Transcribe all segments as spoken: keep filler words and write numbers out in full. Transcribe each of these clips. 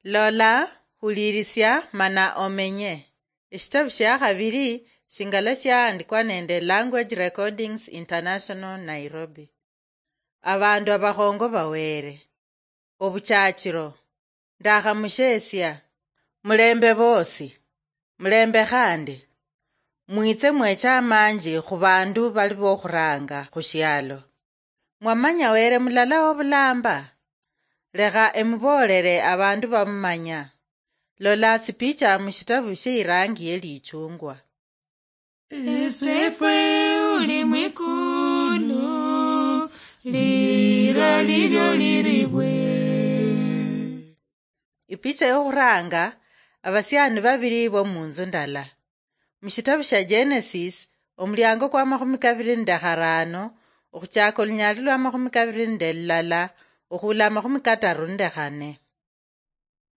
Lola, hulirisia, mana omenye. Eshitabu shia khabiri shingala shiahandikwa nende Language Recordings International, Nairobi. Abandu abakhongo bawere. Obuchachiro. Ndakhamushesia. Mulembe bosi. Mulembe khandi. Mwitse mweche amanji khubandu bali bokhuranga khushialo. Mwamanya Were mulala wobulamba? Lekha emuboolele abandu bamumanya. Lola tsipicha mushitabu sheirangi yelichungwa. Esefwe uli mwikulu, lira lilyo liribwe. Ipicha yokhuranga, abasiani babiri bo munzu ndala. Mushitabu shia Genesis, omuliango kwa makhumi kabiri nende kharano, okhuchaka olunyali lwa makhumi kabiri nende lulala, okhula makhumi kataru nende khane.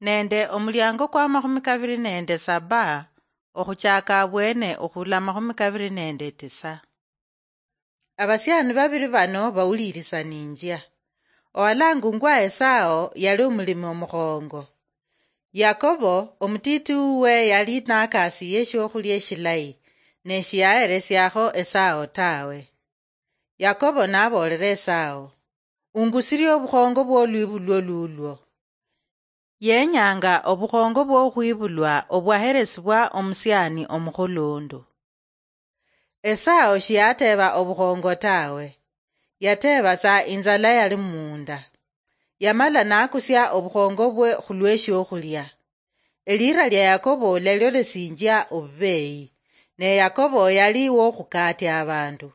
Nende omuliango kwa makhumi kabiri nende saba, okhuchaka abwene okhula makhumi kabiri nende tisa. Abasiani babiri bano bawulirisaninjia. Owalangungwa Esao yali omulimi omukhongo. Yakobo, omutiti wuwe, yali nakasiye eshiokhulia eshilayi, ne shiyaheresiakho Esao tawe. Yakobo naboolera Esao, "Ungusirie obukhongo bwolwibulwo lulwo." Yenyanga obukhongo bwokhwibulwa obwaheresibwa omusiani omukhulundu. Esao shiyateeba obukhongo tawe, yateeba tsa inzala yali munda. Yamala nakusia obukhongo bwe khulweshiokhulia. Elira lia Yakobo lialiolesinjia obubeyi, ne Yakobo yali wokhukatia abandu.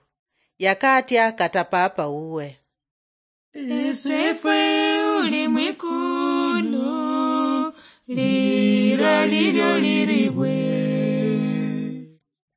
Yakatia kata papa wuwe. Esefwe uli mwikulu, lira lilyo liribwe.